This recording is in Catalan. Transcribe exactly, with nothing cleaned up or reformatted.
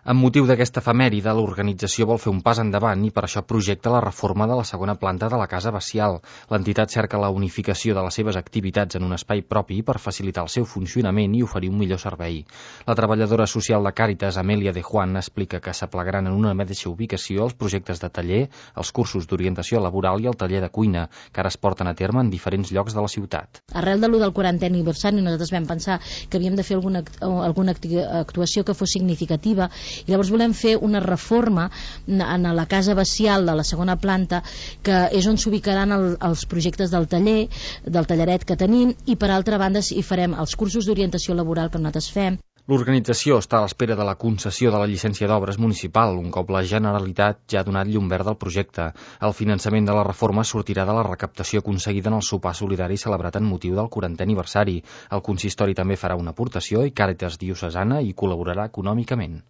Amb motiu d'aquesta efemèride, l'organització vol fer un pas endavant i per això projecta la reforma de la segona planta de la Casa Bacial. L'entitat cerca la unificació de les seves activitats en un espai propi per facilitar el seu funcionament i oferir un millor servei. La treballadora social de Càritas, Amèlia de Juan, explica que s'aplegaran en una mateixa ubicació els projectes de taller, els cursos d'orientació laboral i el taller de cuina, que ara es porten a terme en diferents llocs de la ciutat. Arrel de l'u del quarantè aniversari, nosaltres vam pensar que havíem de fer alguna, alguna actuació que fos significativa, i llavors volem fer una reforma en la Casa Bacial de la segona planta, que és on s'ubicaran el, els projectes del taller, del talleret que tenim, i per altra banda hi farem els cursos d'orientació laboral que nosaltres fem. L'organització està a l'espera de la concessió de la llicència d'obres municipal, un cop la Generalitat ja ha donat llum verda al projecte. El finançament de la reforma sortirà de la recaptació aconseguida en el sopar solidari celebrat en motiu del quarantè aniversari. El consistori també farà una aportació i Càritas Diocesana hi col·laborarà econòmicament.